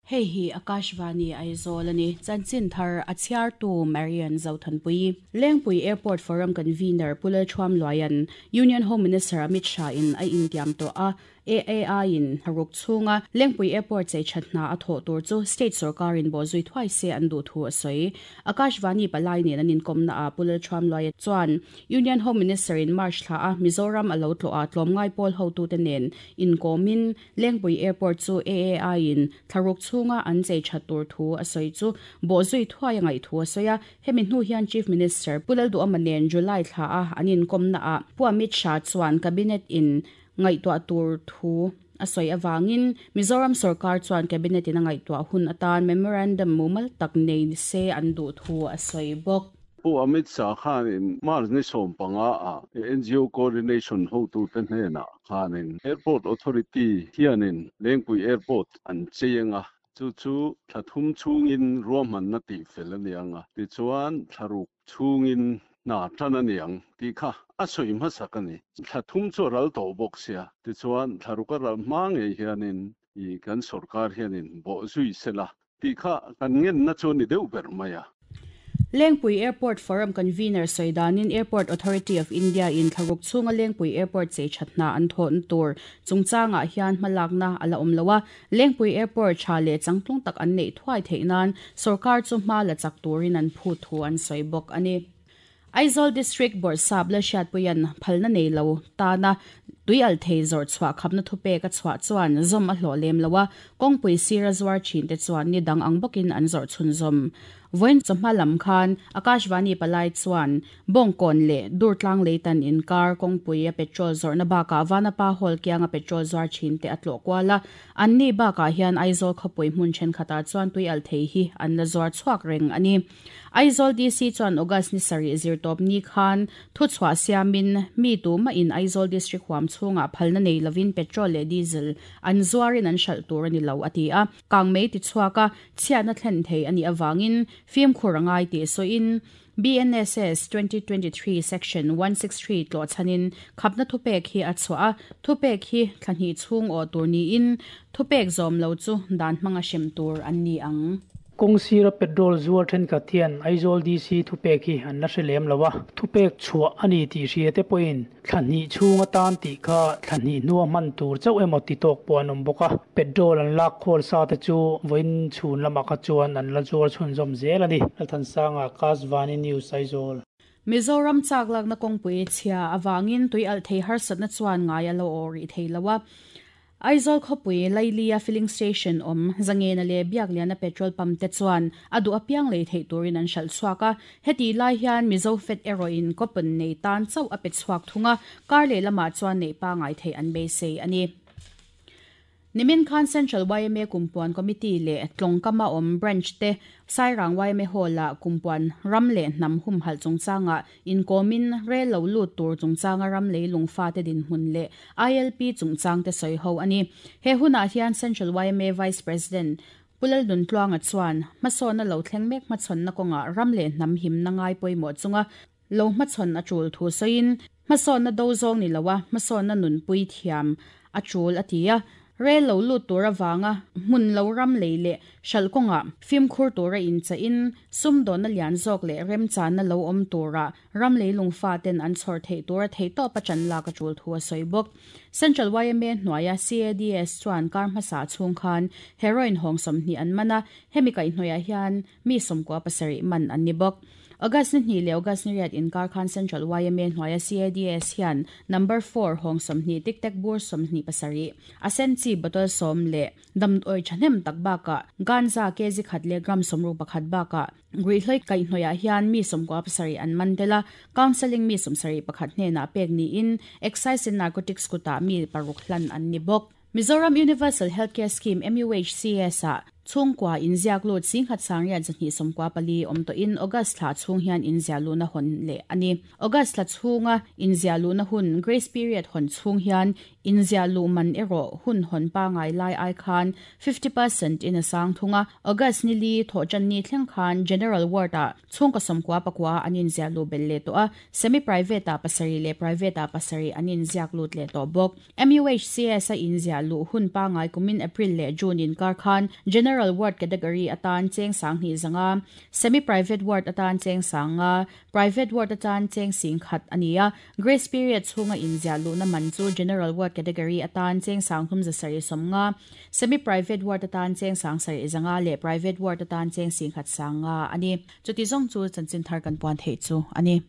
Hei hi Akashvani Aizawl a ni. Chanchin thar a chhiartu Marian Zothanpui. Lengpui Airport Forum Convener Pu Lalthuamluaia'n Union Home Minister Amit Shah in a intiam tawh a, AAI in tharuk chhunga Lengpui Airport chei that hna a thawh tur chu State sorkarin bawhzui thuai se an duh thu a sawi. Akashvani palai nen an inkawmna ah Pu Lalthuamluaia chuan Union Home Minister in March thla a Mizoram a lo tlawh a tlawmngai pawl hotute nen inkawmin Lengpui Airport chu AAI in thlaruk chhunga an chei that tur thu a sawi chu bawhzui thuai a ngaih thu a sawi a. Hemi hnu hian Chief Minister Pu Lalduhawma nen July thla a an inkawmna ah Pu Amit Shah chuan Cabinet in ngaihtuah tur thu a sawi avangin Mizoram sorkar chuan Cabinet in a ngaihtuah hun atan memorandum mumal tak nei se an duh thu a sawi bawk. Pu Amit Shah khanin March ni 15 ah NGO Coordination hotute hnenah khanin Airport Authority hianin Lengpui Airport an chei anga, chu chu thla thum chhungin ruahmanna tih fel a ni anga, tichuan thla ruk chhungin hna tan a ni ang tih kha a sawi hmasak a ni. Thla thum chu a ral tawh bawk sia, tichuan thla ruk a ral hma ngei hianin kan sorkar hianin bawhzui sela tih kha kan ngenna chu a ni deuh ber mai a. Lengpui Airport Forum Convener sawi danin Airport Authority of India in thlaruk chhunga Lengpui Airport chei that hna an thawhna tur chungchangah hian hmalakna a la awm lo a, Lengpui Airport tha leh changtlung tak an neih thuai theih nan sorkar chu hma la chak turin an phut thu an sawi bawk a ni. Aizawl District Bawrhsap Lalhriatpuia'n phalna nei lo tana tuialhthei zawrh chhuah khapna thupek a chhuah chuan zawm a hlawh lem lo a, kawngpui sira zuar thinte chuan ni dang ang bawkin an zawrh chhunzawm. Vawiin chawhma lam khan Akashvani palai chuan Bawngkawn leh Durtlang leitan inkar kawngpui a petrol zawrhna bakah Vanapa Hall kianga petrol zuar thinte a tlawh kual a, anni bakah hian Aizawl khawpui hmun thenkhatah chuan tuialhthei hi an la zuar chhuak reng a ni. Aizawl DC chuan August ni sarih zirtawp ni khan thuchhuah siamin mi tumahin Aizawl District huam chhungah phalna nei lovin petrol leh diesel an zuarin an hralh tur a ni lo a ti a. Kangmei tichhuak a, chhiatna thlen thei a nih avangin fimkhur a ngai tih sawiin BNSS 2023 Section 163 tlawhchhanin khapna thupek hi a chhuah a, thupek hi thla hnih chhung awh tur niin thupek zawm lo chu dan hmanga hrem tur an ni ang. Kawng sira petrol zuar thenkhat hian Aizawl DC thupek hi an la hre lem lo a, thupek chhuah a ni tih hria te pawhin thla hnih chhung atan tih kha thla hnih hnua hman tur chauh emaw ti tawk pawh an awm bawk a, petrol an lak khawl sa te chu vawiin chhun lamah kha chuan an la zuar chhunzawm zel a ni. Lalthansanga, Kasvani News, Aizawl. Mizoram chak lakna kawngpui chhia avangin tuialhthei harsatna chuan ngai a lo aw rih thei lo a. Aizawl khawpui Lailia Filling Station awm Zangena leh Biakliana petrol pump te chuan a duh apiang lei theih turin an hralh chhuak a. Hetih lai hian Mizo Fed erawhin coupon nei tan chauh a pe chhuak thung a, kar leh lamah chuan neih pangai theih an beisei a ni. Nimin khan Central yma Kumpuan Committee leh Tlawngkama awm Branch te Sairang yma Hall-ah Kumpuan ram leh hnam humhalh chungchangah Inkawmin rel lo lut tur chungchanga ram leilung fate dinhmun leh ILP chungchangte sawi ho a ni. He hunah hian Central yma Vice President Pu Lalnuntluanga chuan hmasawnna lo thleng mek hmachhawnna kawngah ram leh hnam himna ngai pawimawh chunga lo hmachhawn a tul thu sawiin hmasawnna do zawng ni loa hmasawnna nunpui thiam a tul a ti a. Rel lo lut tur avanga hmun lo ram lei leh hralh kawngah fimkhur tura inchaihin sumdawnna lian zawk leh remchanna lo awm tura ram leilung faten an chhawr theih tura theihtawp a ṭan lak a ṭul thu a sawi bawk. Central yma hnuaia CADS chuan kar hmasa chhung khan heroin hawng 20 an man a, hemi kaihhnawihah hian mi 97 man an ni bawk. August ni hnih leh August ni riat inkar khan Central yma hnuaia CADS hian number four hawng 20 tic tac bur 27, a sen chi bottle 10 leh damdawi thahnem tak bakah ganja kg khat leh gram 61 bakah ruihhlo kaihhnawihah hian mi 97 an man tel a, counselling mi 71 hnenah pek niin Excise and Narcotics kutah mi paruk hlan an ni bawk. Mizoram Universal Healthcare Scheme, MUHCS, ah chhungkua inziak lut singhat sangriat 294 awm tawhin August thla chhung hian inziah luhna hawn leh a ni. August thla chhunga inziah luhna hun, grace period, hawn chhung hian inziah luh man erawh hun hawn pangai lai ai khan 50% in a sang thung a. August ni li thawhtan ni thleng khan General Ward ah chhungkaw 99 an inziah luh belh leh tawh a, semi-private ah pasarih leh private ah pasarih an inziak lut leh tawh bawk. MUHCS a inziah luh hun pangai kumin April leh June inkar khan General. General Ward category atan cheng 2500, Semi Private Ward atan cheng 5000, Private Ward atan cheng 10,000 a ni a. Grace period chhunga inziah luhna man chu General Ward category atan cheng 3750, Semi Private Ward atan cheng 7500 leh Private Ward atan cheng 10,500 a ni. Chuti zawng chu chanchin thar kan puan theih chu a ni.